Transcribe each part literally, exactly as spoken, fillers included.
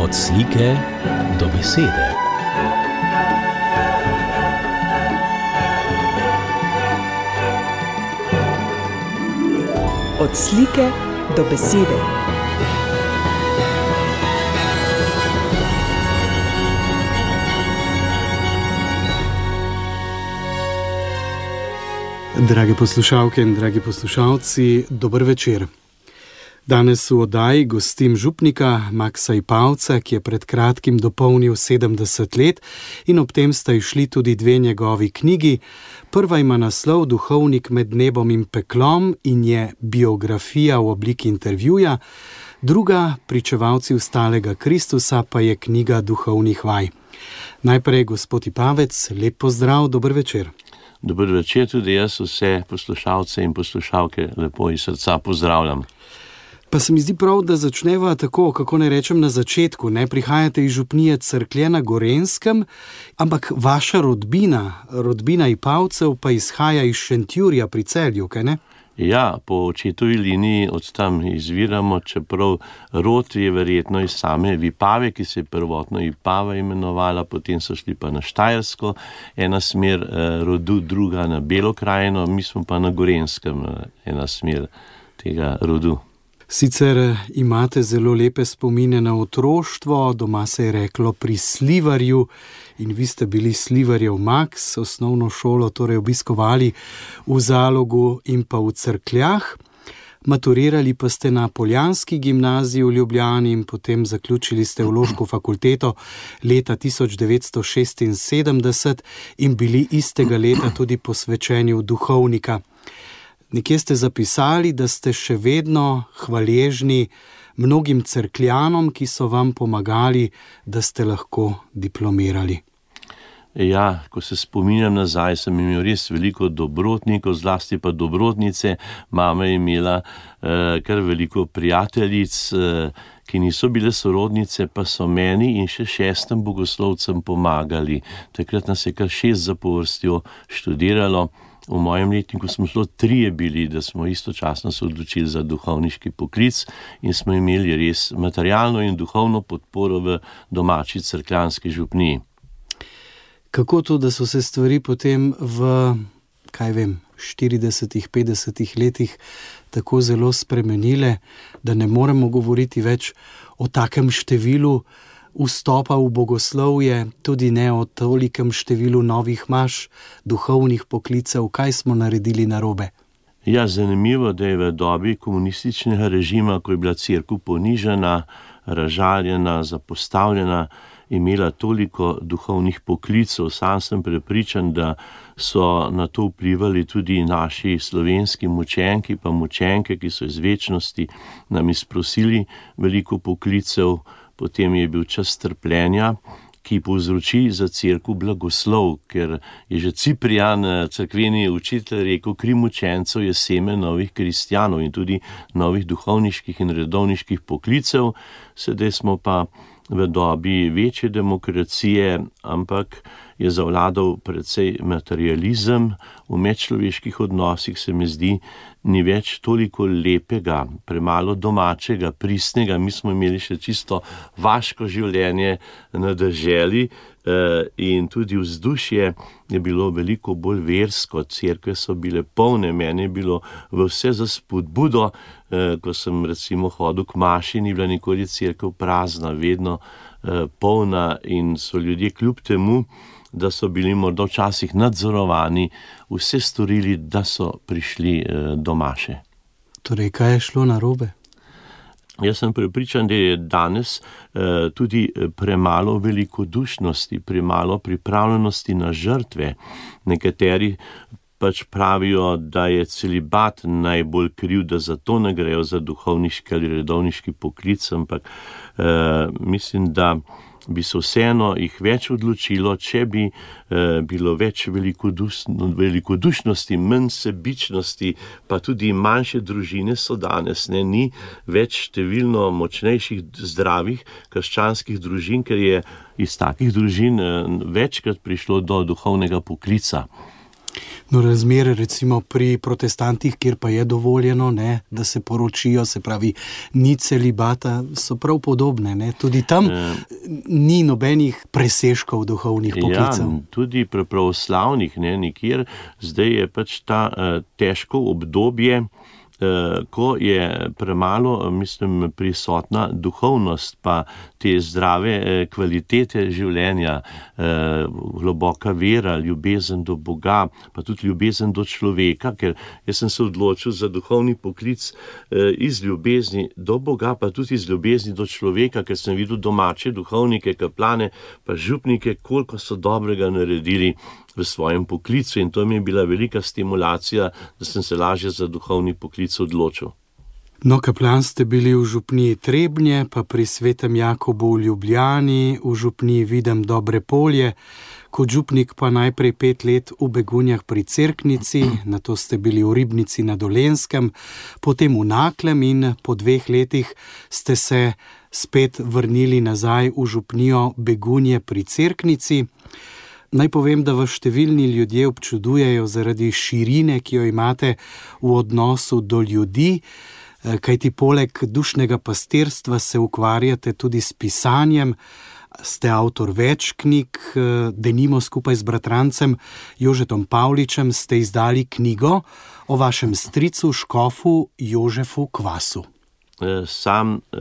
Od slike do besede. Od slike do besede. Drage poslušalke in dragi poslušalci, dober večer. Danes v oddaji gostim župnika Maksa Ipavca, ki je pred kratkim dopolnil sedemdeset let in ob tem sta išli tudi dve njegovi knjigi. Prva ima naslov Duhovnik med nebom in peklom in je biografija v obliki intervjuja, druga Pričevalci vstalega Kristusa pa je knjiga duhovnih vaj. Najprej gospod Ipavec, lep pozdrav, dober večer. Dober večer, tudi jaz vse poslušalce in poslušalke lepo iz srca pozdravljam. Pa se mi zdi prav, da začneva tako, kako ne rečem na začetku, ne prihajate iz župnije Cerklje na Gorenjskem, ampak vaša rodbina, rodbina Ipavcev pa izhaja iz Šentjurja pri Celju, kaj ne? Ja, po očetovi liniji od tam izviramo, čeprav rod je verjetno iz same Vipave, ki se je prvotno Ipava imenovala, potem so šli pa na Štajersko, ena smer eh, rodu, druga na Belo krajino, mi smo pa na Gorenjskem, eh, ena smer tega rodu. Sicer imate zelo lepe spomine na otroštvo, doma se je reklo pri Slivarju in vi ste bili Slivarjev Maks, osnovno šolo torej obiskovali v Zalogu in pa v Cerkljah. Maturirali pa ste na Poljanski gimnaziji v Ljubljani in potem zaključili ste teološko fakulteto leta tisoč devetsto šestinsedemdeset in bili istega leta tudi posvečeni v duhovnika. Nekje ste zapisali, da ste še vedno hvaležni mnogim cerkljanom, ki so vam pomagali, da ste lahko diplomirali. Ja, ko se spominjam nazaj, sem imel res veliko dobrotnikov, zlasti pa dobrotnice. Mama je imela eh, kar veliko prijateljic, eh, ki niso bile sorodnice, pa so meni in še šestem bogoslovcem pomagali. Takrat nas je kar šest zapovrstjo študiralo. V mojem letniku smo šlo trije bili, da smo istočasno se odločili za duhovniški poklic in smo imeli res materialno in duhovno podporo v domači cerkljanski župniji. Kako to, da so se stvari potem v, kaj vem, štiridesetih, petdesetih letih tako zelo spremenile, da ne moremo govoriti več o takem številu vstopa v bogoslovje, tudi ne o tolikem številu novih maš, duhovnih poklicev, kaj smo naredili narobe? Ja, zanimivo, da je v dobi komunističnega režima, ko je bila cerkev ponižana, razžaljena, zapostavljena, imela toliko duhovnih poklicev. Sam sem prepričan, da so na to vplivali tudi naši slovenski mučenki, pa mučenke, ki so iz večnosti nam izprosili veliko poklicev. Potem je bil čas trpljenja, ki povzroči za cerkev blagoslov, ker je že Ciprijan, cerkveni učitelj, rekel, kri mučencev je seme novih kristjanov in tudi novih duhovniških in redovniških poklicev. Sedaj smo pa v dobi večje demokracije, ampak je zavladal precej materializem. V medčloveških odnosih se mi zdi, ni več toliko lepega, premalo domačega, pristnega. Mi smo imeli še čisto vaško življenje na deželi in tudi vzdušje je bilo veliko bolj versko, cerkve so bile polne, meni je bilo v vse za spodbudo, ko sem recimo hodil k maši, ni bila nikoli cerkev prazna, vedno polna in so ljudje kljub temu, da so bili morda včasih nadzorovani, vse storili, da so prišli do maše. Torej, kaj je šlo narobe? Jaz sem prepričan, da je danes eh, tudi premalo velikodušnosti, premalo pripravljenosti na žrtve. Nekateri pač pravijo, da je celibat najbolj kriv, da zato ne grejo za duhovniški ali redovniški poklic, ampak eh, mislim, da bi se vseeno jih več odločilo, če bi eh, bilo več velikodušnosti, manj sebičnosti, pa tudi manjše družine so danes, ne, ni več številno močnejših, zdravih krščanskih družin, ker je iz takih družin eh, večkrat prišlo do duhovnega poklica. No, razmere recimo pri protestantih, kjer pa je dovoljeno, ne, da se poročijo, se pravi, ni celibata, so prav podobne. Ne. Tudi tam e, ni nobenih presežkov duhovnih poklicev. Ja, tudi pri pravoslavnih, ne, nikjer. Zdaj je pač ta uh, težko obdobje, ko je premalo, mislim, prisotna duhovnost, pa te zdrave kvalitete življenja, globoka vera, ljubezen do Boga, pa tudi ljubezen do človeka, ker jaz sem se odločil za duhovni poklic iz ljubezni do Boga, pa tudi iz ljubezni do človeka, ker sem videl domače duhovnike, kaplane, pa župnike, koliko so dobrega naredili v svojem poklicu, in to mi je bila velika stimulacija, da sem se lažje za duhovni poklic odločil. No, kaplan ste bili v župniji Trebnje, pa pri Svetem Jakobu v Ljubljani, v župniji Videm Dobre Polje, kot župnik pa najprej pet let v Begunjah pri Cerknici, nato ste bili v Ribnici na Dolenjskem, potem v Naklem in po dveh letih ste se spet vrnili nazaj v župnijo Begunje pri Cerknici. Naj povem, da vas številni ljudje občudujejo zaradi širine, ki jo imate v odnosu do ljudi, kajti poleg dušnega pastirstva se ukvarjate tudi s pisanjem, ste avtor več knjig, denimo skupaj z bratrancem Jožetom Pavličem ste izdali knjigo o vašem stricu škofu Jožefu Kvasu. Sam eh,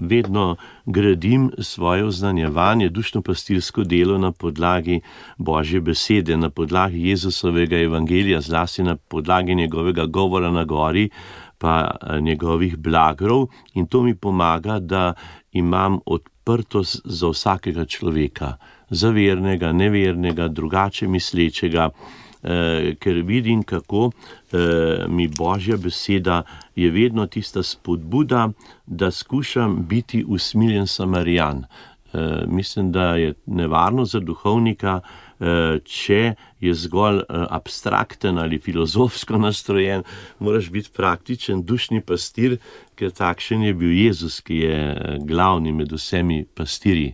vedno gradim svoje oznanjevanje, dušno-pastirsko delo na podlagi Božje besede, na podlagi Jezusovega evangelija, zlasti na podlagi njegovega govora na gori, pa njegovih blagrov, in to mi pomaga, da imam odprtost za vsakega človeka, za vernega, nevernega, drugače mislečega, Eh, ker vidim, kako eh, mi Božja beseda je vedno tista spodbuda, da skušam biti usmiljen Samarijan. Eh, mislim, da je nevarno za duhovnika, eh, če je zgolj eh, abstrakten ali filozofsko nastrojen, moraš biti praktičen dušni pastir, ker takšen je bil Jezus, ki je glavni med vsemi pastirji.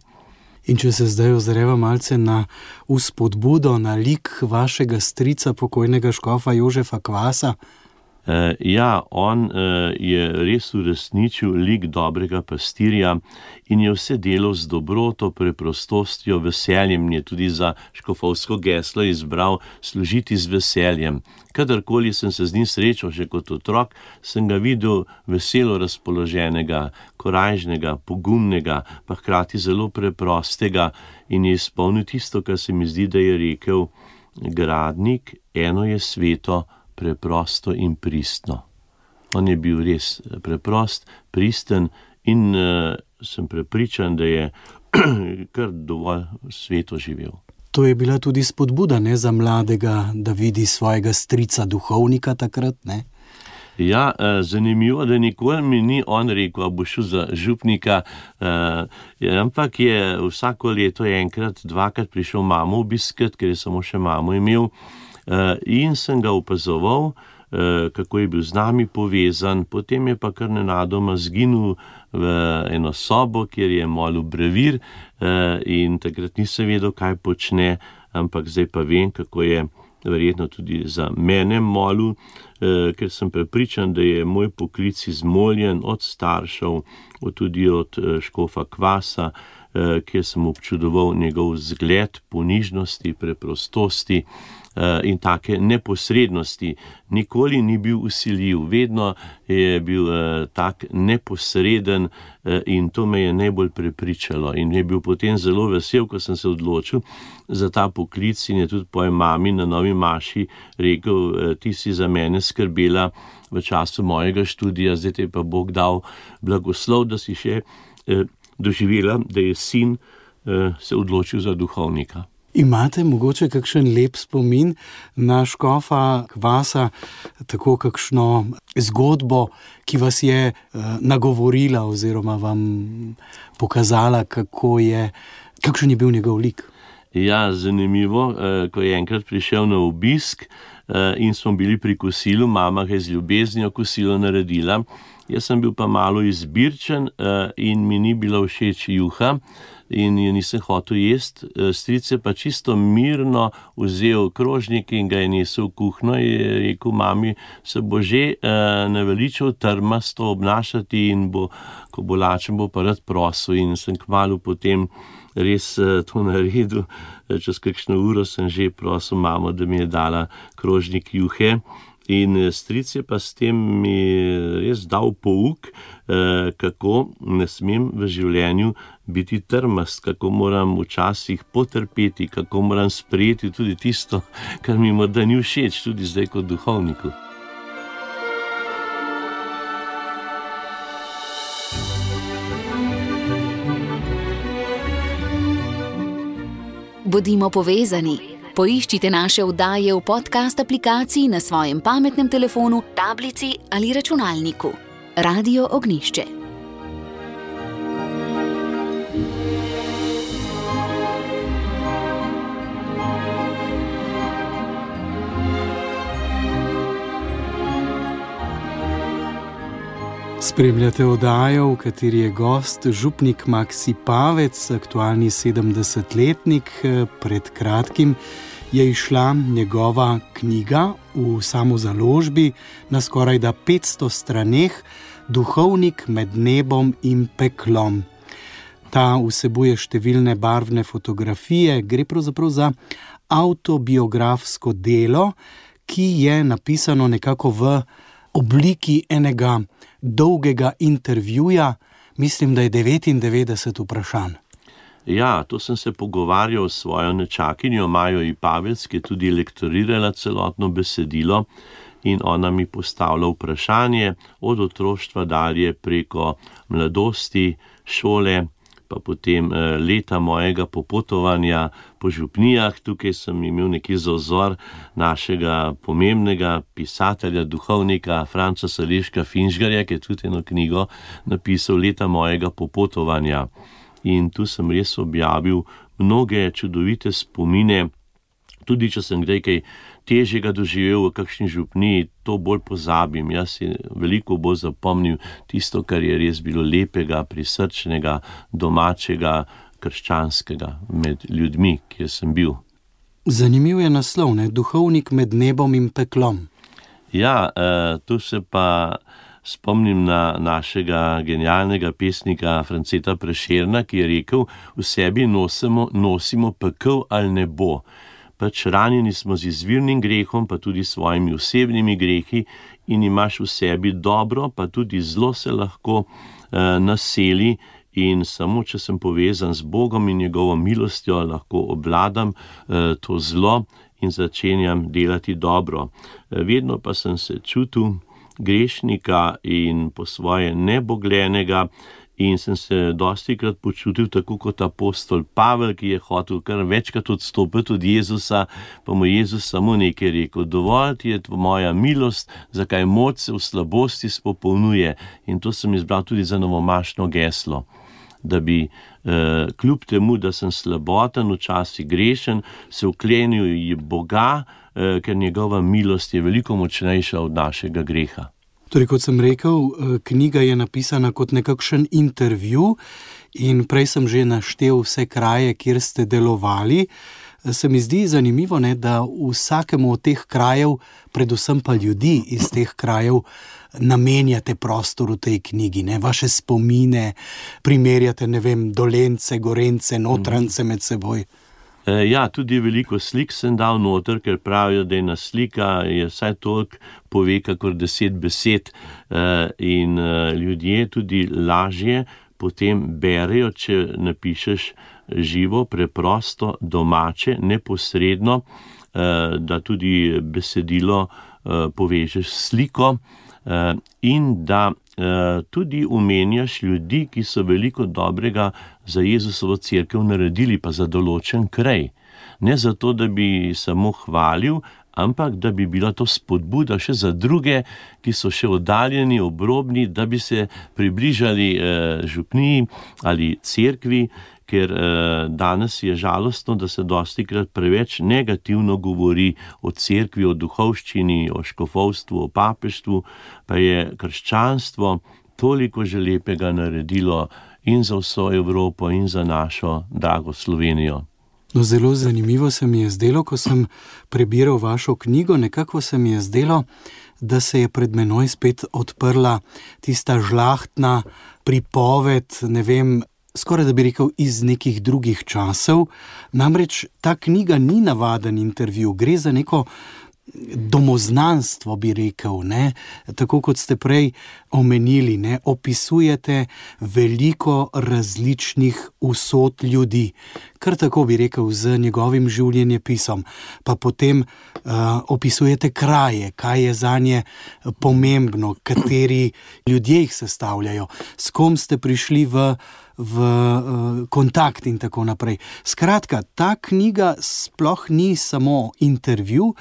In če se zdaj ozreva malce na vzpodbudo, na lik vašega strica, pokojnega škofa Jožefa Kvasa. Uh, ja, on uh, je res uresničil lik dobrega pastirja in je vse delal z dobroto, preprostostjo, veseljem. Je tudi za škofovsko geslo izbral služiti z veseljem. Kadarkoli sem se z njim srečal, že kot otrok, sem ga videl veselo razpoloženega, korajžnega, pogumnega, pa hkrati zelo preprostega, in je izpolnil tisto, kar se mi zdi, da je rekel: gradnik, eno je sveto, preprosto in pristno. On je bil res preprost, pristen in uh, sem prepričan, da je kar dovolj sveto živel. To je bila tudi spodbuda, ne, za mladega, da vidi svojega strica duhovnika takrat, ne? Ja, zanimivo, da nikoli mi ni on rekel, a bo šel za župnika, ampak je vsako leto enkrat, dvakrat prišel mamo obiskat, ker je samo še mamo imel, in sem ga opazoval, kako je bil z nami povezan. Potem je pa kar nenadoma zginil v eno sobo, kjer je molil brevir, in takrat nisem vedel, kaj počne, ampak zdaj pa vem, kako je verjetno tudi za mene molil, ker sem prepričan, da je moj poklic izmoljen od staršev, tudi od škofa Kvasa, kjer sem občudoval njegov zgled ponižnosti, preprostosti in take neposrednosti. Nikoli ni bil vsiljiv, vedno je bil tak neposreden, in to me je najbolj prepričalo. In je bil potem zelo vesel, ko sem se odločil za ta poklic, in je tudi pojem mami na novi maši rekel: ti si za mene skrbela v času mojega študija, zdaj te pa Bog dal blagoslov, da si še doživela, da je sin se odločil za duhovnika. Imate mogoče kakšen lep spomin na škofa Kvasa, tako kakšno zgodbo, ki vas je nagovorila oziroma vam pokazala, kako je, kakšen je bil njegov lik? Ja, zanimivo, ko je enkrat prišel na obisk in smo bili pri kosilu, mama ga je z ljubeznijo kosilo naredila. Jaz sem bil pa malo izbirčen in mi ni bila všeč juha, in je nisem hotel jesti. Stric je pa čisto mirno vzel krožnik in ga je nesel v kuhno in je rekel, mami, se bo že uh, naveličal trmasto obnašati in bo, ko bo lačen, bo pa rad prosil. In sem kmalu potem res uh, to naredil. Čez kakšno uro sem že prosil mamo, da mi je dala krožnik juhe. In stric je pa s tem mi res dal pouk, kako ne smem v življenju biti trmast, kako moram včasih potrpeti, kako moram sprejeti tudi tisto, kar mi morda ni všeč, tudi zdaj kot duhovniku. Bodimo povezani. Poiščite naše oddaje v podcast aplikaciji na svojem pametnem telefonu, tablici ali računalniku. Radio Ognjišče. Spremljate oddajo, v kateri je gost župnik Maksi Pavec, aktualni sedemdesetletnik. Pred kratkim je izšla njegova knjiga v samozaložbi na skorajda petsto straneh, Duhovnik med nebom in peklom. Ta vsebuje številne barvne fotografije, gre pravzaprav za avtobiografsko delo, ki je napisano nekako v obliki enega dolgega intervjuja, mislim, da je devetindevetdeset vprašanj. Ja, to sem se pogovarjal s svojo nečakinjo Majo Ipavec, ki je tudi lektorirala celotno besedilo in ona mi postavlja vprašanje od otroštva dalje preko mladosti, šole, pa potem leta mojega popotovanja po župnijah. Tukaj sem imel neki za vzor našega pomembnega pisatelja, duhovnika Franca Saleška Finžgarja, ki je tudi eno knjigo napisal Leta mojega popotovanja. In tu sem res objavil mnoge čudovite spomine, tudi če sem kdaj kaj težjega doživel v kakšni župniji, to bolj pozabim. Jaz si veliko bolj zapomnil tisto, kar je res bilo lepega, prisrčnega, domačega, krščanskega med ljudmi, kjer sem bil. Zanimiv je naslov, ne? Duhovnik med nebom in peklom. Ja, uh, tu se pa spomnim na našega genialnega pesnika Franceta Prešerna, ki je rekel, v sebi nosimo, nosimo pekel ali nebo. Pač ranjeni smo z izvirnim grehom, pa tudi svojimi osebnimi grehi in imaš v sebi dobro, pa tudi zlo se lahko uh, naseli in samo, če sem povezan z Bogom in njegovo milostjo, lahko obvladam uh, to zlo in začenjam delati dobro. Uh, vedno pa sem se čutil grešnika in po svoje neboglenega in sem se dostikrat počutil tako kot apostol Pavel, ki je hotel kar večkrat odstopiti od Jezusa, pa mu Jezus samo nekaj rekel, dovolj ti je moja milost, zakaj moč se v slabosti spopolnjuje. In to sem izbral tudi za novomašno geslo, da bi eh, kljub temu, da sem slaboten, včasih grešen, se vklenil Boga, eh, ker njegova milost je veliko močnejša od našega greha. Torej, kot sem rekel, knjiga je napisana kot nekakšen intervju in prej sem že naštel vse kraje, kjer ste delovali. Se mi zdi zanimivo, ne, da vsakemu od teh krajev, predvsem pa ljudi iz teh krajev, namenjate prostor v tej knjigi, ne, vaše spomine, primerjate, ne vem, Dolence, Gorence, Notrance med seboj. Ja, tudi veliko slik sem dal noter, ker pravijo, da ena slika je vsaj toliko pove, kakor deset besed in ljudje tudi lažje potem berejo, če napišeš živo, preprosto, domače, neposredno, da tudi besedilo povežeš s sliko in da tudi omenjaš ljudi, ki so veliko dobrega za Jezusovo cerkev naredili, pa za določen kraj. Ne zato, da bi samo hvalil, ampak da bi bila to spodbuda še za druge, ki so še oddaljeni, obrobni, da bi se približali eh, župniji ali cerkvi, ker eh, danes je žalostno, da se dostikrat preveč negativno govori o cerkvi, o duhovščini, o škofovstvu, o papeštvu, pa je krščanstvo toliko že lepega naredilo in za vso Evropo in za našo drago Slovenijo. No, zelo zanimivo se mi je zdelo, ko sem prebiral vašo knjigo, nekako se mi je zdelo, da se je pred menoj spet odprla tista žlahtna pripoved, ne vem, skoraj da bi rekel iz nekih drugih časov. Namreč ta knjiga ni navaden intervju, gre za neko domoznanstvo, bi rekel, ne? Tako kot ste prej omenili, ne? Opisujete veliko različnih usod ljudi, kar tako bi rekel z njegovim življenjepisom, pa potem uh, opisujete kraje, kaj je zanje pomembno, kateri ljudje jih sestavljajo, s kom ste prišli v v uh, kontakt in tako naprej. Skratka, ta knjiga sploh ni samo intervju,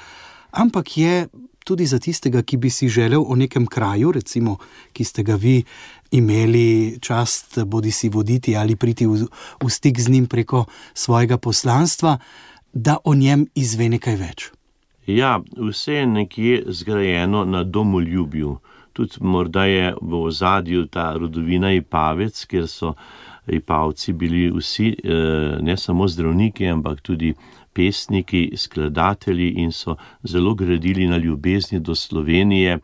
ampak je tudi za tistega, ki bi si želel o nekem kraju, recimo, ki ste ga vi imeli čast bodi si voditi ali priti v, v stik z njim preko svojega poslanstva, da o njem izve nekaj več. Ja, vse je nekje zgrajeno na domoljubju. Tudi morda je v ozadju ta rodovina Ipavec, kjer so Ipavci bili vsi, ne samo zdravniki, ampak tudi pesniki, skladatelji in so zelo gradili na ljubezni do Slovenije.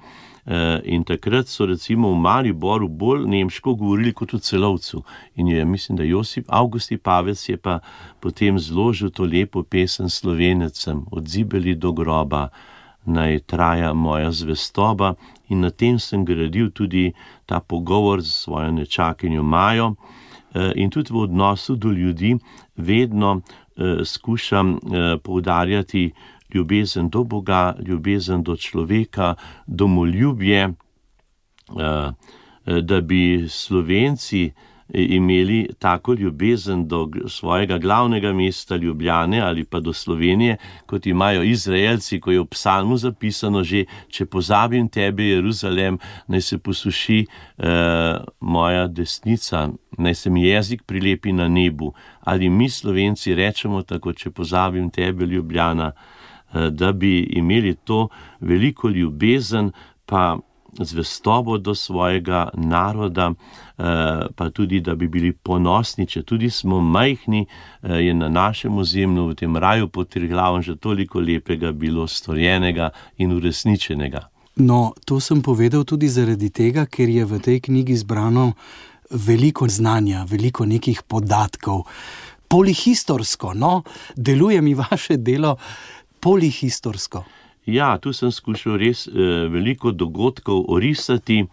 In takrat so recimo v Mariboru bolj nemško govorili kot v Celovcu. In je, mislim, da Josip Avgust Ipavec je pa potem zložil to lepo pesem Slovenecem, od zibeli do groba, naj traja moja zvestoba, in na tem sem gradil tudi ta pogovor z svojo nečakinjo Majo. In tudi v odnosu do ljudi vedno eh, skušam eh, poudarjati ljubezen do Boga, ljubezen do človeka, domoljubje, eh, da bi Slovenci imeli tako ljubezen do svojega glavnega mesta Ljubljane ali pa do Slovenije, kot imajo Izraelci, ko je v psalmu zapisano že, če pozabim tebe, Jeruzalem, naj se posuši eh, moja desnica, naj se mi jezik prilepi na nebu. Ali mi Slovenci rečemo tako, če pozabim tebe, Ljubljana, eh, da bi imeli to veliko ljubezen, pa zvestobo do svojega naroda, pa tudi, da bi bili ponosni, če tudi smo majhni, je na našem ozemlju, v tem raju pod Triglavom, že toliko lepega bilo storjenega in uresničenega. No, to sem povedal tudi zaradi tega, ker je v tej knjigi zbrano veliko znanja, veliko nekih podatkov. Polihistorsko, no, deluje mi vaše delo polihistorsko. Ja, tu sem skušal res eh, veliko dogodkov orisati,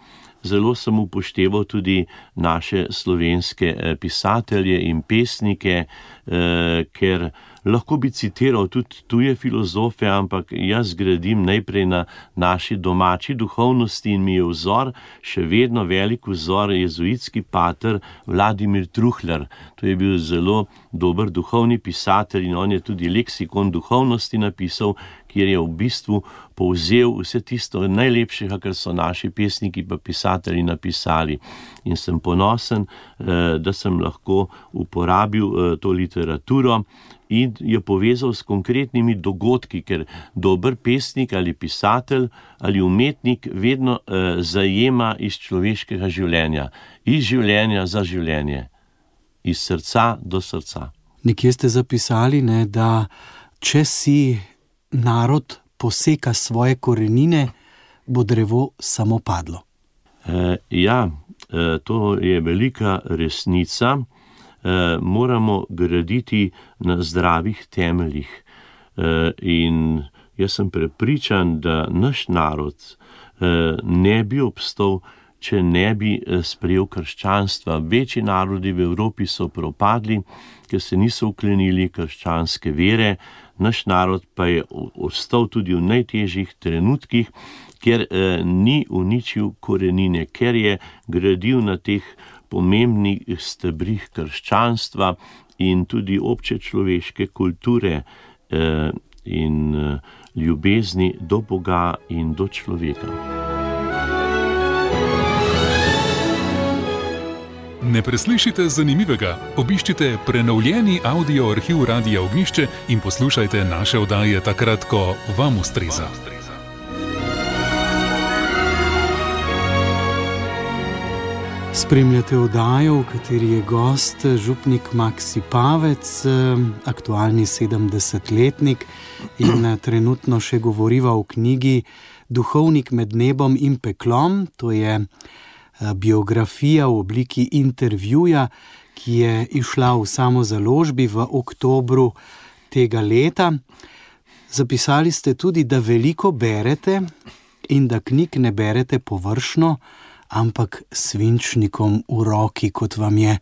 zelo sem upošteval tudi naše slovenske eh, pisatelje in pesnike, eh, ker lahko bi citiral tudi tuje filozofe, ampak jaz gradim najprej na naši domači duhovnosti in mi je vzor, še vedno velik vzor, jezuitski pater Vladimir Truhlar. To je bil zelo dober duhovni pisatelj in on je tudi leksikon duhovnosti napisal, kjer je v bistvu povzel vse tisto najlepšega, kar so naši pesniki pa pisatelji napisali. In sem ponosen, da sem lahko uporabil to literaturo in jo povezal s konkretnimi dogodki, ker dober pesnik ali pisatelj ali umetnik vedno zajema iz človeškega življenja, iz življenja za življenje, iz srca do srca. Nekje ste zapisali, ne, da če si narod poseka svoje korenine, bo drevo samo padlo. E, ja, e, to je velika resnica. E, moramo graditi na zdravih temeljih. E, in jaz sem prepričan, da naš narod e, ne bi obstal, če ne bi sprejel krščanstva. Večji narodi v Evropi so propadli, ker se niso uklenili krščanske vere. Naš narod pa je ostal tudi v najtežjih trenutkih, ker eh, ni uničil korenine, ker je gradil na teh pomembnih stebrih krščanstva in tudi obče človeške kulture eh, in eh, ljubezni do Boga in do človeka. Ne preslišite zanimivega, obiščite prenovljeni audio arhiv Radia Ognjišče in poslušajte naše oddaje takrat, ko vam ustreza. Spremljate oddajo, v kateri je gost župnik Maksi Pavec, aktualni sedemdesetletnik in trenutno še govoriva o knjigi Duhovnik med nebom in peklom. To je biografija v obliki intervjuja, ki je išla v samozaložbi v oktobru tega leta. Zapisali ste tudi, da veliko berete in da knjig ne berete površno, ampak svinčnikom v roki, kot vam je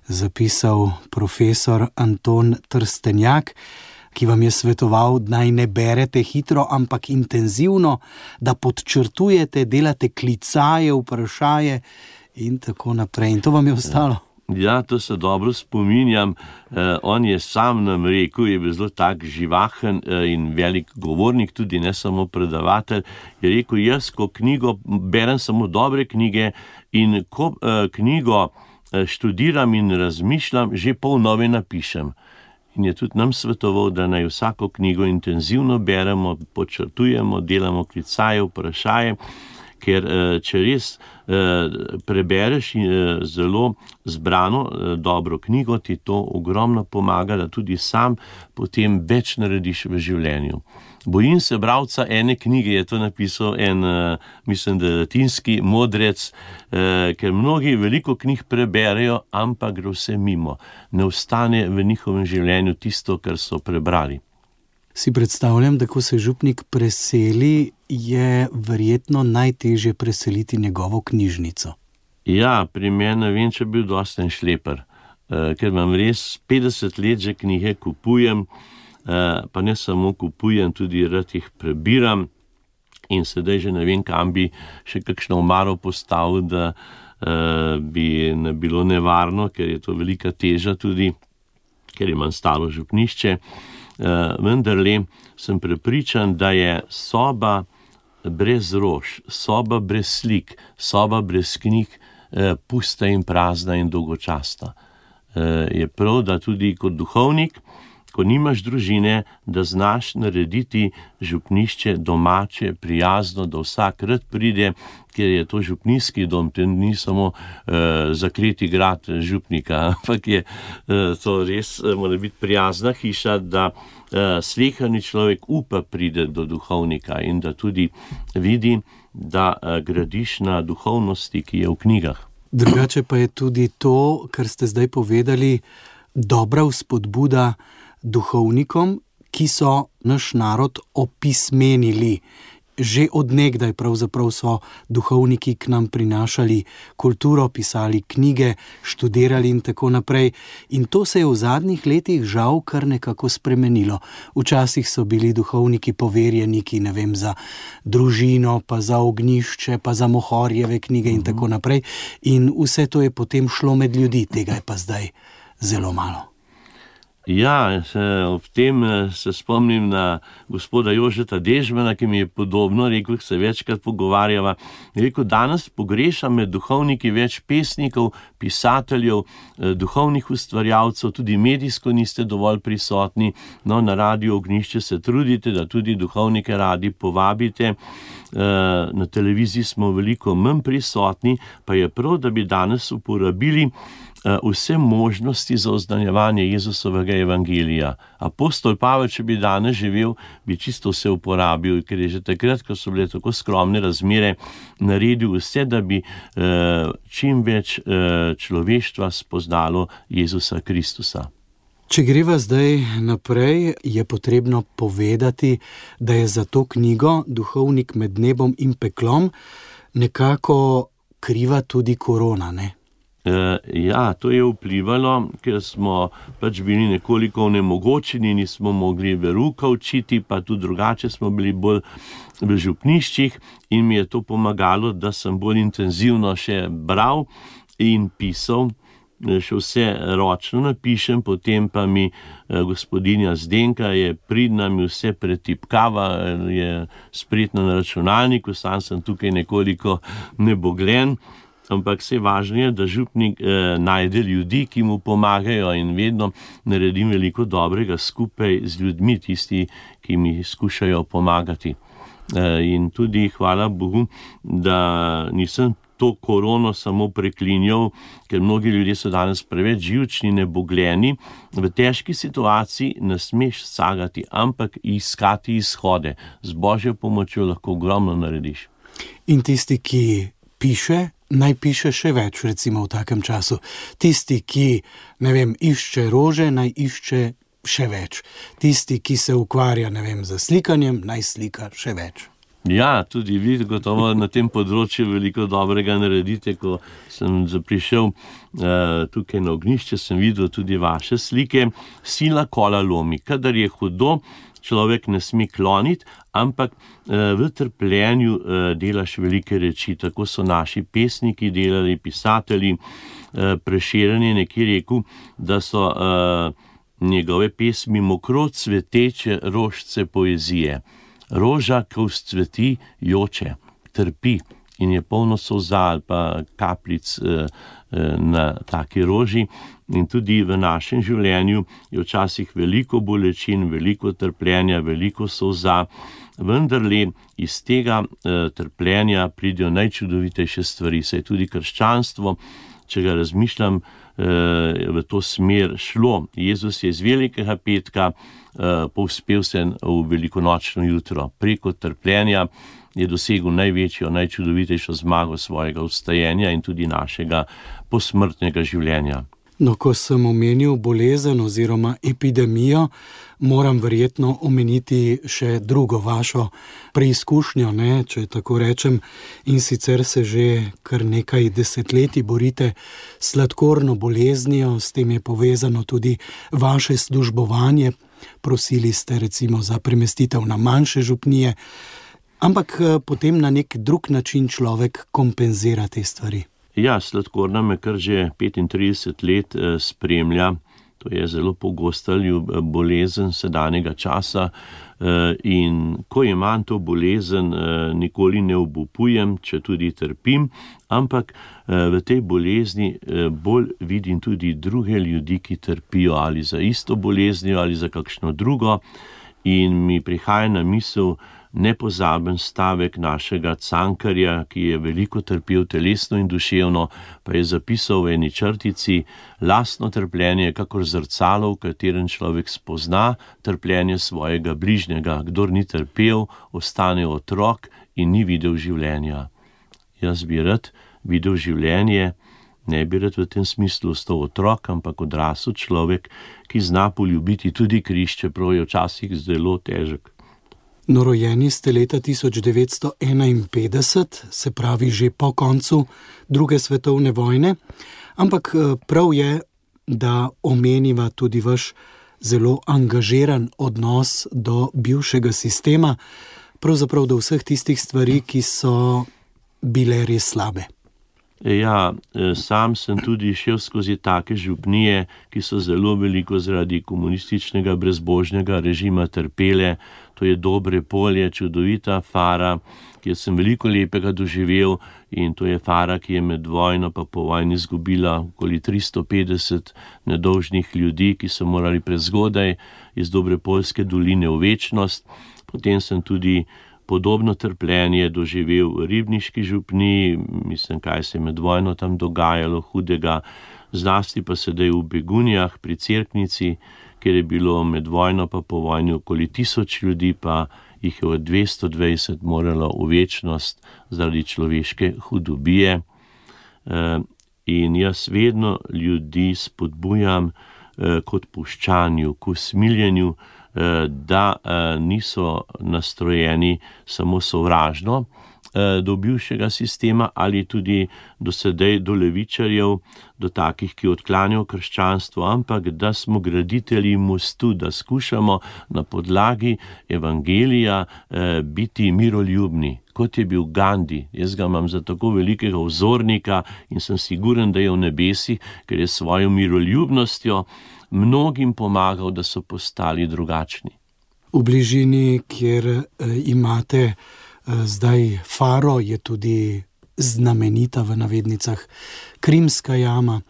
zapisal profesor Anton Trstenjak, ki vam je svetoval, naj ne berete hitro, ampak intenzivno, da podčrtujete, delate klicaje, vprašaje in tako naprej. In to vam je ostalo? Ja, to se dobro spominjam. Eh, on je sam nam rekel, je bil zelo tak živahen eh, in velik govornik, tudi ne samo predavatelj. Je rekel, jaz, ko knjigo berem samo dobre knjige in ko eh, knjigo eh, študiram in razmišljam, že pol nove napišem. In je tudi nam svetoval, da naj vsako knjigo intenzivno beremo, podčrtujemo, delamo klicaje, vprašaje, ker če res prebereš zelo zbrano dobro knjigo, ti to ogromno pomaga, da tudi sam potem več narediš v življenju. Bojim se bralca ene knjige, je to napisal en, mislim, da latinski modrec, ker mnogi veliko knjig preberejo, ampak gre vse mimo. Ne ostane v njihovem življenju tisto, kar so prebrali. Si predstavljam, da ko se župnik preseli, je verjetno najtežje preseliti njegovo knjižnico. Ja, pri meni ne vem, če bi bil dosti en šleper, ker imam res petdeset let že knjige kupujem, pa ne samo kupujem, tudi rad jih prebiram in sedaj že ne vem, kam bi še kakšno omaro postavil, da bi ne bilo nevarno, ker je to velika teža tudi, ker imam staro župnišče. Vendarle sem prepričan, da je soba brez rož, soba brez slik, soba brez knjig pusta in prazna in dolgočasna. Je prav, da tudi kot duhovnik, ko nimaš družine, da znaš narediti župnišče domače, prijazno, da vsak rad pride, ker je to župnijski dom, to ni samo uh, zakleti grad župnika, ampak je uh, to res, uh, mora biti prijazna hiša, da uh, slehani človek upa pride do duhovnika in da tudi vidi, da uh, gradiš na duhovnosti, ki je v knjigah. Drugače pa je tudi to, kar ste zdaj povedali, dobra vzpodbuda duhovnikom, ki so naš narod opismenili. Že od nekdaj pravzaprav so duhovniki k nam prinašali kulturo, pisali knjige, študirali in tako naprej. In to se je v zadnjih letih žal kar nekako spremenilo. Včasih so bili duhovniki poverjeniki, ne vem, za družino, pa za ognjišče, pa za Mohorjeve knjige in tako naprej. In vse to je potem šlo med ljudi, tega je pa zdaj zelo malo. Ja, ob tem se spomnim na gospoda Jožeta Dežmana, ki mi je podobno rekel, se večkrat pogovarjava. Je rekel, danes pogrešam med duhovniki več pesnikov, pisateljev, duhovnih ustvarjalcev, tudi medijsko niste dovolj prisotni. No, na Radiu Ognjišče se trudite, da tudi duhovnike radi povabite. Na televiziji smo veliko manj prisotni, pa je prav, da bi danes uporabili vse možnosti za oznanjevanje Jezusovega evangelija. Apostol Pavel, če bi danes živel, bi čisto vse uporabil, ker je že takrat, ko so bile tako skromne razmere, naredil vse, da bi čim več človeštva spoznalo Jezusa Kristusa. Če greva zdaj naprej, je potrebno povedati, da je za to knjigo Duhovnik med nebom in peklom nekako kriva tudi korona, ne? Ja, to je vplivalo, ker smo pač bili nekoliko onemogočeni, nismo mogli veruka učiti, pa tudi drugače smo bili bolj v župniščih in mi je to pomagalo, da sem bolj intenzivno še bral in pisal. Še vse ročno napišem, potem pa mi gospodinja Zdenka je pridna, mi vse pretipkava, je spretna na računalniku, sam sem tukaj nekoliko neboglen. Ampak vse važno je, da župnik eh, najde ljudi, ki mu pomagajo in vedno naredim veliko dobrega skupaj z ljudmi, tisti, ki mi skušajo pomagati. Eh, in tudi hvala Bogu, da nisem to korono samo preklinjal, ker mnogi ljudje so danes preveč živčni, nebogljeni. V težki situaciji ne smeš sagati, ampak iskati izhode. Z Božjo pomočjo lahko ogromno narediš. In tisti, ki piše, naj piše še več, recimo v takem času. Tisti, ki, ne vem, išče rože, naj išče še več. Tisti, ki se ukvarja, ne vem, z slikanjem, naj slika še več. Ja, tudi vi gotovo na tem področju veliko dobrega naredite. Ko sem prišel uh, tukaj na ognjišče, sem videl tudi vaše slike. Sila kola lomi. Kadar je hudo, človek ne sme kloniti, ampak uh, v trpljenju uh, delaš velike reči. Tako so naši pesniki delali, pisatelji. Uh, Prešeren je nekje rekel, da so uh, njegove pesmi mokro cveteče rožce poezije. Roža, ko vzcveti, joče, trpi in je polno solza ali pa kapljic eh, na taki roži. In tudi v našem življenju je včasih veliko bolečin, veliko trpljenja, veliko solza, vendarle iz tega eh, trpljenja pridejo najčudovitejše stvari. Saj tudi krščanstvo, če ga razmišljam, v to smer šlo. Jezus je iz velikega petka povzpel se v velikonočno jutro. Preko trpljenja je dosegel največjo, najčudovitejšo zmago svojega vstajenja in tudi našega posmrtnega življenja. No, ko sem omenil bolezen oziroma epidemijo, moram verjetno omeniti še drugo vašo preizkušnjo, ne, če tako rečem, in sicer se že kar nekaj desetletij borite s sladkorno boleznijo, s tem je povezano tudi vaše službovanje, prosili ste recimo za premestitev na manjše župnije, ampak potem na nek drug način človek kompenzira te stvari. Ja, sladkorna me kar že petintrideset let spremlja. To je zelo pogosta bolezen sedanjega časa in ko imam to bolezen, nikoli ne obupujem, če tudi trpim, ampak v tej bolezni bolj vidim tudi druge ljudi, ki trpijo ali za isto boleznijo ali za kakšno drugo in mi prihaja na misel nepozaben stavek našega Cankarja, ki je veliko trpel telesno in duševno, pa je zapisal v eni črtici: lastno trpljenje, kakor zrcalo, v katerem človek spozna trpljenje svojega bližnjega. Kdor ni trpel, ostane otrok in ni videl življenja. Jaz bi rad videl življenje, ne bi rad v tem smislu ostal otrok, ampak odrasel človek, ki zna poljubiti tudi križ, čeprav je včasih zelo težek. No, rojeni ste leta tisoč devetsto enainpetdeset, se pravi že po koncu druge svetovne vojne, ampak prav je, da omeniva tudi vaš zelo angažiran odnos do bivšega sistema, pravzaprav do vseh tistih stvari, ki so bile res slabe. Ja, sam sem tudi šel skozi take župnije, ki so zelo veliko zaradi komunističnega brezbožnega režima trpele. To je Dobre polje, čudovita Fara, kjer sem veliko lepega doživel, in to je Fara, ki je med vojno pa po vojni izgubila okoli tristo petdeset nedolžnih ljudi, ki so morali prezgodaj iz Dobrepoljske doline v večnost. Potem sem tudi podobno trpljenje doživel v Ribniški župniji, mislim, kaj se je med vojno tam dogajalo hudega, zlasti pa sedaj v Begunjah pri Cerknici, kjer je bilo med vojno pa po vojni okoli tisoč ljudi, pa jih je od dvesto dvajset moralo v večnost zaradi človeške hudobije. In jaz vedno ljudi spodbujam k odpuščanju, k usmiljenju, da niso nastrojeni samo sovražno do bivšega sistema ali tudi do sedaj do levičarjev, do takih, ki odklanjajo krščanstvo, ampak da smo graditelji mostu, da skušamo na podlagi evangelija biti miroljubni, kot je bil Gandhi. Jaz ga imam za tako velikega vzornika in sem siguren, da je v nebesih, ker je svojo miroljubnostjo mnogim pomagal, da so postali drugačni. V bližini, kjer imate zdaj Faro, je tudi znamenita v navednicah Krimska jama,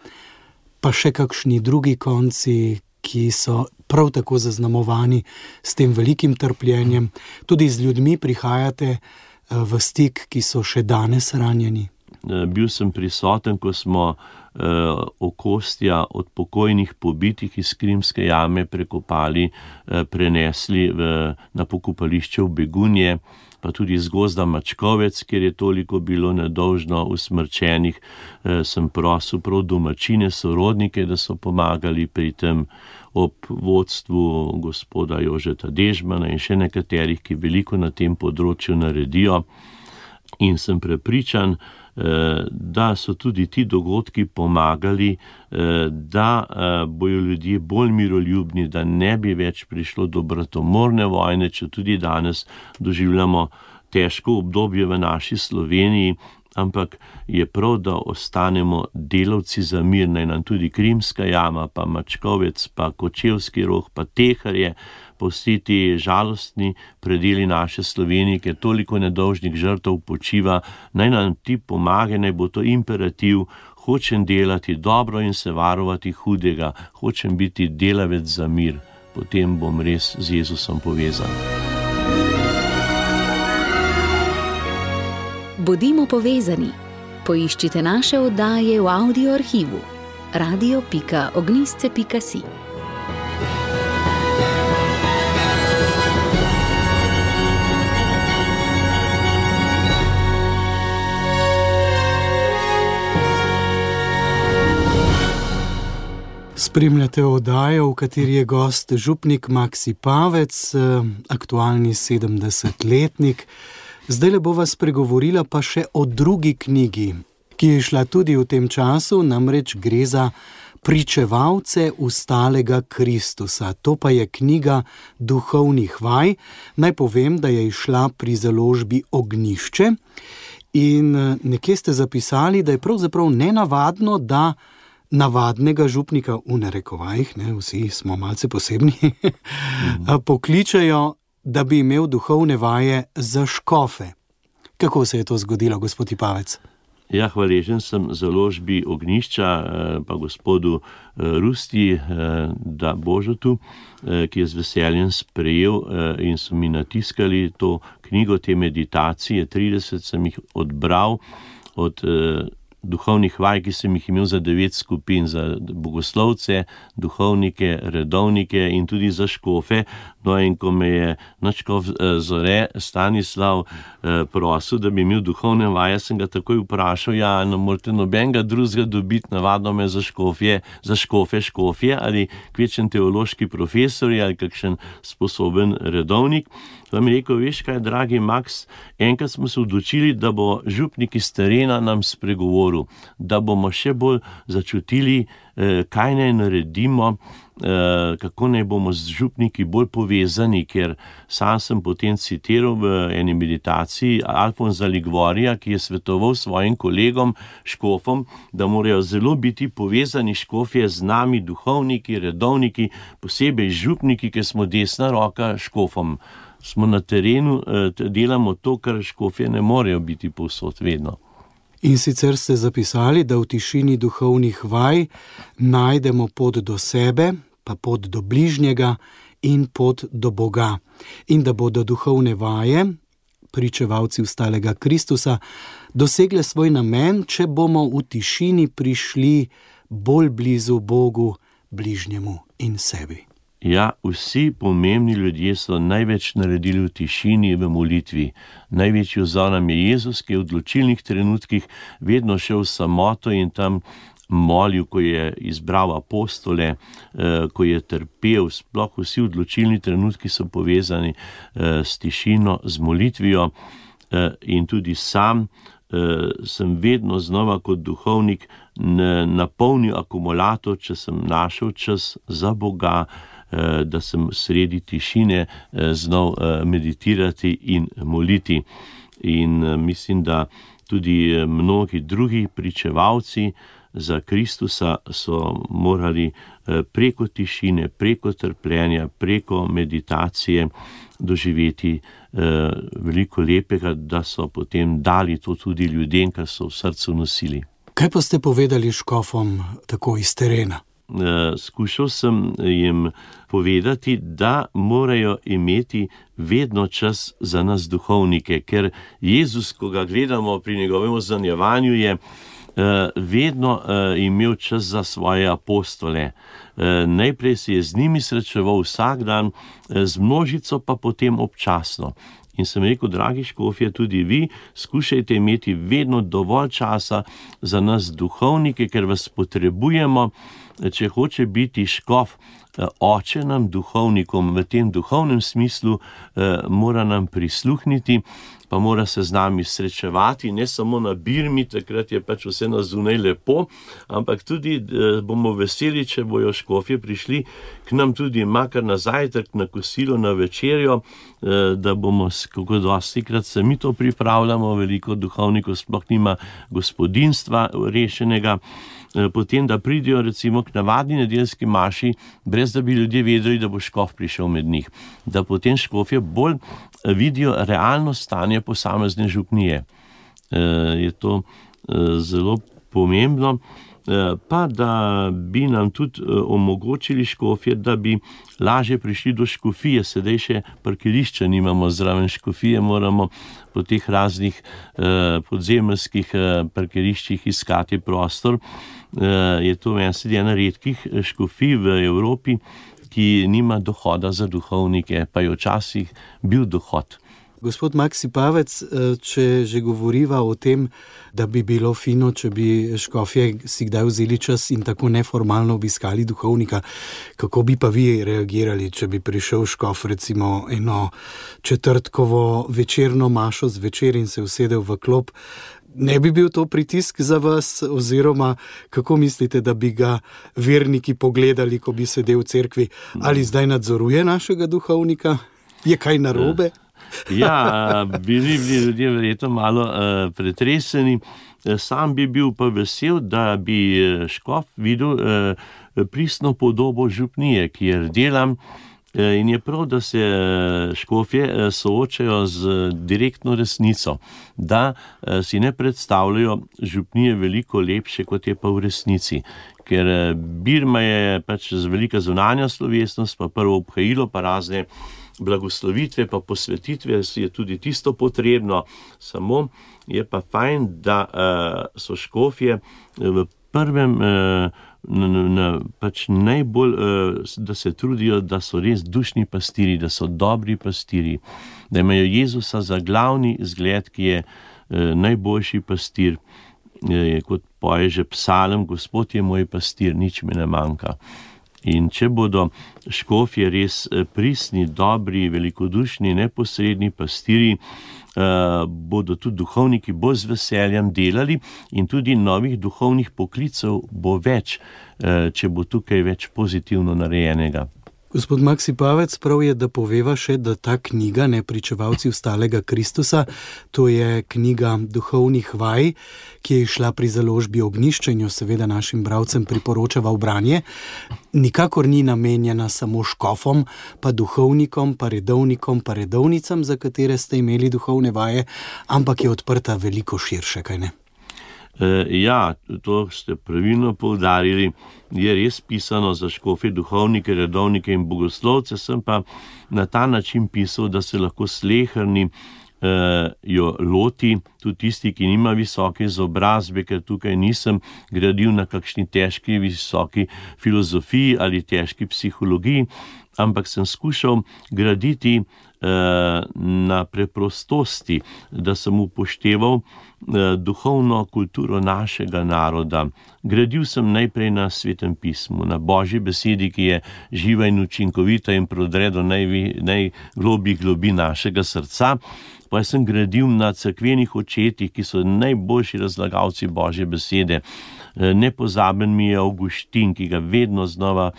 pa še kakšni drugi konci, ki so prav tako zaznamovani s tem velikim trpljenjem. Tudi z ljudmi prihajate v stik, ki so še danes ranjeni. bil sem prisoten, ko smo okostja od pokojnih pobitih iz Krimske jame prekopali, prenesli v, na pokopališče v Begunje, pa tudi iz gozda Mačkovec, kjer je toliko bilo nedolžno usmrčenih. Sem prosil prav domačine, sorodnike, da so pomagali pri tem, ob vodstvu gospoda Jožeta Dežmana in še nekaterih, ki veliko na tem področju naredijo. In sem prepričan, da so tudi ti dogodki pomagali, da bojo ljudje bolj miroljubni, da ne bi več prišlo do bratomorne vojne, če tudi danes doživljamo težko obdobje v naši Sloveniji, ampak je prav, da ostanemo delavci za mir, naj nam tudi Krimska jama, pa Mačkovec, pa Kočevski Rog, pa Teharje, pa vsi ti žalostni predeli naše Slovenije, ker toliko nedolžnih žrtev počiva, naj nam ti pomagaj, naj bo to imperativ, hočem delati dobro in se varovati hudega, hočem biti delavec za mir, potem bom res z Jezusom povezan. Bodimo povezani. Poiščite naše oddaje v audio arhivu radio pika ognjišče pika si. Spremljate oddajo, v kateri je gost župnik Maksi Pavec, aktualni sedemdesetletnik. Zdaj le bova spregovorila pa še o drugi knjigi, ki je šla tudi v tem času, namreč gre za Pričevalce ustalega Kristusa. To pa je knjiga duhovnih vaj. Naj povem, da je izšla pri založbi Ognjišče in nekje ste zapisali, da je pravzaprav nenavadno, da navadnega župnika v narekovajih, ne, vsi smo malce posebni, pokličajo, da bi imel duhovne vaje za škofe. Kako se je to zgodilo, gospod Pavec? Ja, hvaležen sem založbi Ognjišča, pa gospodu Rusti, da Božotu, ki je z veseljem sprejel in so mi natiskali to knjigo, te meditacije, trideset sem jih odbral od duhovnih vaj, ki sem jih imel za devet skupin, za bogoslovce, duhovnike, redovnike in tudi za škofe. No in ko me je nadškof Zore Stanislav prosil, da bi imel duhovne vaje, sem ga takoj vprašal, ja, ne morate nobenega drugega dobiti, navadno me za škofje, za škofe, škofje ali kvečen teološki profesor ali kakšen sposoben redovnik. Pa mi rekel, veš kaj, dragi Maks, enkrat smo se odločili, da bo župnik iz terena nam spregovoril, da bomo še bolj začutili, kaj naj naredimo, kako naj bomo z župniki bolj povezani, ker sam sem potem citiral v eni meditaciji Alfonza Liguorija, ki je svetoval svojim kolegom, škofom, da morajo zelo biti povezani škofje z nami, duhovniki, redovniki, posebej župniki, ker smo desna roka škofom. Smo na terenu, delamo to, kar škofje ne morejo biti povsod vedno. In sicer ste zapisali, da v tišini duhovnih vaj najdemo pot do sebe, pa pot do bližnjega in pot do Boga. In da bodo duhovne vaje, pričevalci ustalega Kristusa, dosegle svoj namen, če bomo v tišini prišli bolj blizu Bogu, bližnjemu in sebi. Ja, vsi pomembni ljudje so največ naredili v tišini, v molitvi. Največji vzor nam je Jezus, ki je v odločilnih trenutkih vedno šel v samoto in tam molil, ko je izbral apostole, ko je trpel. Sploh vsi odločilni trenutki so povezani s tišino, z molitvijo in tudi sam sem vedno znova kot duhovnik napolnil akumulator, če sem našel čas za Boga, da sem sredi tišine znal meditirati in moliti. In mislim, da tudi mnogi drugi pričevalci za Kristusa so morali preko tišine, preko trpljenja, preko meditacije doživeti veliko lepega, da so potem dali to tudi ljudem, kar so v srcu nosili. Kaj pa ste povedali škofom tako iz terena? skušal sem jim povedati, da morajo imeti vedno čas za nas duhovnike, ker Jezus, ko ga gledamo pri njegovem ozanjevanju, je vedno imel čas za svoje apostole. Najprej se je z njimi srečeval vsak dan, z množico pa potem občasno. In sem rekel, dragi škofje, tudi vi skušajte imeti vedno dovolj časa za nas duhovnike, ker vas potrebujemo, če hoče biti škof oče nam duhovnikom v tem duhovnem smislu, mora nam prisluhniti, pa mora se z nami srečevati, ne samo na birmi, takrat je pač vse na zunaj lepo, ampak tudi bomo veseli, če bojo škofje prišli k nam tudi makar na zajtrk, na kosilo, na večerjo, da bomo, kako dostikrat se mi to pripravljamo, veliko duhovnikov sploh nima gospodinstva rešenega, potem, da pridejo recimo k navadni nedeljski maši, brez da bi ljudje vedeli, da bo škof prišel med njih. Da potem škofje bolj vidijo realno stanje posamezne župnije. Je to zelo pomembno. Pa da bi nam tudi omogočili škofje, da bi lažje prišli do škofije. Sedaj še parkirišča nimamo zraven škofije, moramo po teh raznih podzemeljskih parkiriščih iskati prostor. Je to ena redkih škofij v Evropi, ki nima dohoda za duhovnike, pa je včasih bil dohod. Gospod Maksi Pavec, če že govoriva o tem, da bi bilo fino, če bi škofje si kdaj vzeli čas in tako neformalno obiskali duhovnika, kako bi pa vi reagirali, če bi prišel škof recimo eno četrtkovo večerno mašo zvečer in se usedel v klop? Ne bi bil to pritisk za vas, oziroma kako mislite, da bi ga verniki pogledali, ko bi sedel v cerkvi? Ali zdaj nadzoruje našega duhovnika? Je kaj narobe? Ja, bili bi ljudje verjetno malo uh, pretreseni. Sam bi bil pa vesel, da bi škof videl uh, pristno podobo župnije, kjer delam. In je prav, da se škofje soočajo z direktno resnico, da si ne predstavljajo župnije veliko lepše, kot je pa v resnici. Ker birma je pač velika zunanja slovesnost, pa prvo obhajilo, pa razne blagoslovitve, pa posvetitve, je tudi tisto potrebno. Samo je pa fajn, da so škofje v prvem Na, na, pač najbolj, da se trudijo, da so res dušni pastiri, da so dobri pastiri, da imajo Jezusa za glavni zgled, ki je najboljši pastir. Kot poje že psalm, Gospod je moj pastir, nič mi ne manjka. In če bodo škofje res pristni, dobri, velikodušni, neposredni pastiri, bodo tudi duhovniki bolj z veseljem delali in tudi novih duhovnih poklicev bo več, če bo tukaj več pozitivno narejenega. Gospod Maksi Pavec, prav je, da poveva še, da ta knjiga, ne Pričevalci vstalega Kristusa, to je knjiga duhovnih vaj, ki je išla pri založbi Ognjišče in jo seveda našim bralcem priporočava v branje, nikakor ni namenjena samo škofom, pa duhovnikom, pa redovnikom, pa redovnicam, za katere ste imeli duhovne vaje, ampak je odprta veliko širše, kaj ne? Ja, to ste pravilno poudarili, je res pisano za škofe, duhovnike, redovnike in bogoslovce, sem pa na ta način pisal, da se lahko sleherni eh, jo loti, tudi tisti, ki nima visoke izobrazbe, ker tukaj nisem gradil na kakšni težki visoki filozofiji ali težki psihologiji, ampak sem skušal graditi na preprostosti, da sem upošteval duhovno kulturo našega naroda. Gradil sem najprej na Svetem pismu, na Božji besedi, ki je živa in učinkovita in prodre do najglobjih globi našega srca. Pa sem gradil na cerkvenih očetih, ki so najboljši razlagalci Božje besede. Nepozaben mi je Avguštin, ki ga vedno znova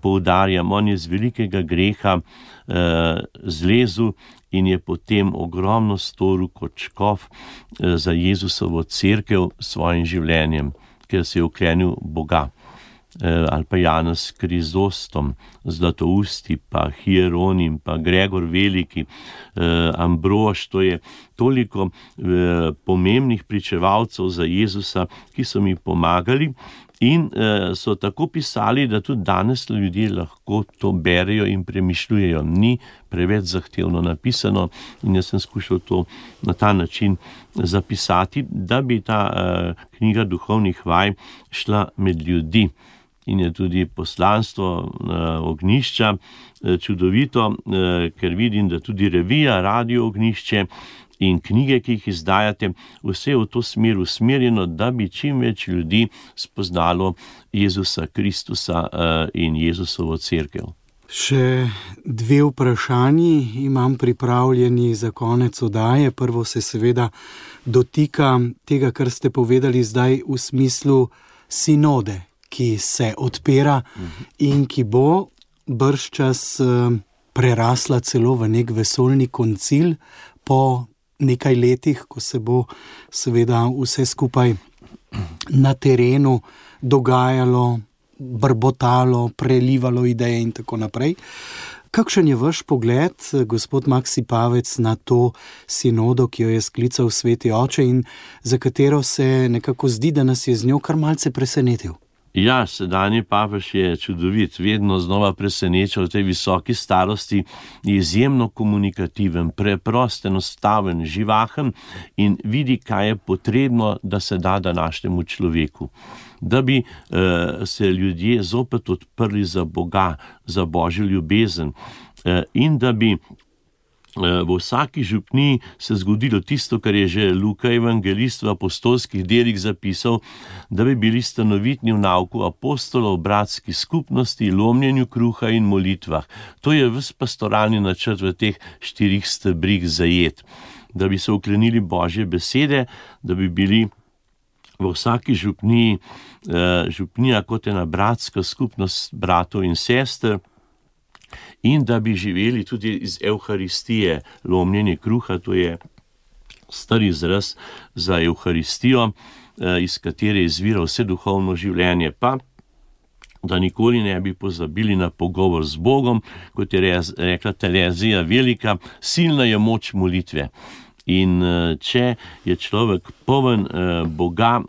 poudarjam. On je z velikega greha eh, zlezel in je potem ogromno storil kot škof eh, za Jezusovo cerkev s svojim življenjem, ker se je uklenil Boga. Eh, ali pa Janez Krizostom, Zlatousti, pa Hieronim, pa Gregor Veliki, eh, Ambrož, to je toliko eh, pomembnih pričevalcev za Jezusa, ki so mi pomagali. In uh, so tako pisali, da tudi danes ljudje lahko to berejo in premišljujejo. Ni preveč zahtevno napisano in jaz sem skušal to na ta način zapisati, da bi ta uh, knjiga duhovnih vaj šla med ljudi. In je tudi poslanstvo uh, Ognjišča uh, čudovito, uh, ker vidim, da tudi revija Radio Ognjišče in knjige, ki jih izdajate, vse v to smer usmerjeno, da bi čim več ljudi spoznalo Jezusa Kristusa uh, in Jezusovo cerkev. Še dve vprašanji imam pripravljeni za konec oddaje. Prvo se seveda dotika tega, kar ste povedali zdaj v smislu sinode, ki se odpira in ki bo bržčas prerasla celo v nek vesoljni koncil po nekaj letih, ko se bo seveda vse skupaj na terenu dogajalo, brbotalo, prelivalo ideje in tako naprej. Kakšen je vaš pogled, gospod Maksy Pavec, na to sinodo, ki jo je sklical Sveti Oče in za katero se nekako zdi, da nas je z njo kar malce presenetil? Ja, sedanji papež je čudovit, vedno znova preseneča v tej visoki starosti, je izjemno komunikativen, preprost, enostaven, živahen in vidi, kaj je potrebno, da se da današnjemu človeku. Da bi uh, se ljudje zopet odprli za Boga, za Božjo ljubezen uh, in da bi v vsaki župniji se zgodilo tisto, kar je že Luka evangelist v apostolskih delih zapisal, da bi bili stanovitni v nauku apostolov, bratski skupnosti, lomljenju kruha in molitvah. To je ves pastoralni načrt v teh štirih stebrih zajet. Da bi se uklenili Božje besede, da bi bili v vsaki župniji, župnija kot ena bratska skupnost bratov in sester, in da bi živeli tudi iz Evharistije, lomljenje kruha, to je star izraz za Evharistijo, iz katere izvira vse duhovno življenje, pa da nikoli ne bi pozabili na pogovor z Bogom, kot je rekla Terezija Velika, silna je moč molitve. In če je človek poln Boga,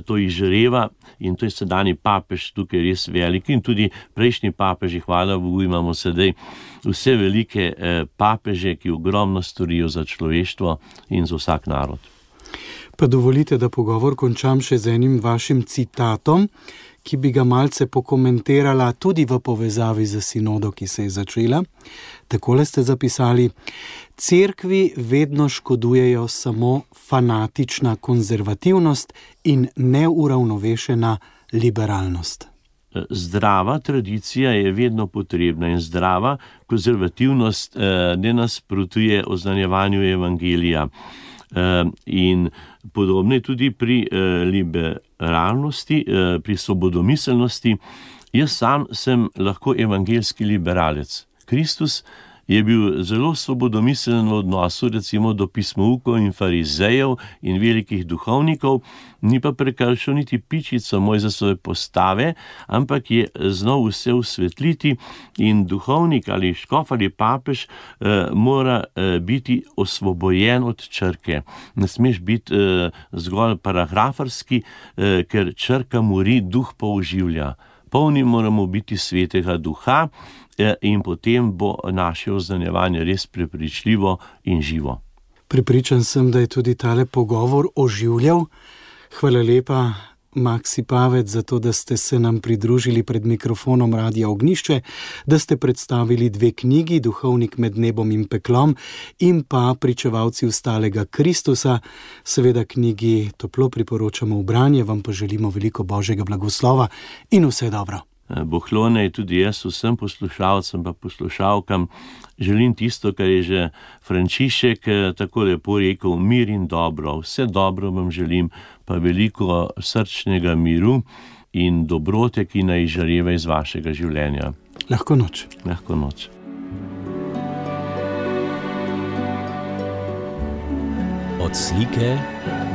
to izžareva, in to je sedanji papež tukaj res velik, in tudi prejšnji papeži, hvala Bogu, imamo sedaj vse velike papeže, ki ogromno storijo za človeštvo in za vsak narod. Pa dovolite, da pogovor končam še z enim vašim citatom, ki bi ga malce pokomentirala tudi v povezavi z sinodo, ki se je začela. Takole ste zapisali: Cerkvi vedno škodujejo samo fanatična konzervativnost in neuravnovešena liberalnost. Zdrava tradicija je vedno potrebna in zdrava konzervativnost eh, ne nasprotuje oznanjevanju evangelija. Uh, in podobno je tudi pri uh, liberalnosti, uh, pri svobodomiselnosti. Jaz sam sem lahko evangeljski liberalec. Kristus je bil zelo svobodomiselen v odnosu recimo do pismoukov in farizejev in velikih duhovnikov, ni pa prekršil niti pičico Mojzesove postave, ampak je znal vse usvetliti in duhovnik ali škof ali papež eh, mora eh, biti osvobojen od črke. Ne smeš biti eh, zgolj paragrafarski, eh, ker črka mori, duh pa oživlja. Polni moramo biti svetega duha, in potem bo naše oznanjevanje res prepričljivo in živo. Prepričan sem, da je tudi tale pogovor oživljal. Hvala lepa, Maksy Pavec, za to, da ste se nam pridružili pred mikrofonom Radia Ognjišče, da ste predstavili dve knjigi, Duhovnik med nebom in peklom in pa Pričevalci vstalega Kristusa. Seveda knjigi toplo priporočamo v branje, vam pa želimo veliko Božjega blagoslova in vse dobro. Bohlone, tudi jaz vsem poslušalcem pa poslušalkam želim tisto, kar je že Frančišek tako lepo rekel: mir in dobro. Vse dobro vam želim, pa veliko srčnega miru in dobrote, ki naj izžareva iz vašega življenja. Lahko noč. Lahko noč. Od slike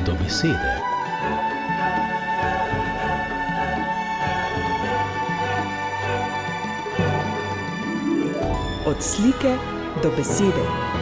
do besede. Od slike do besede.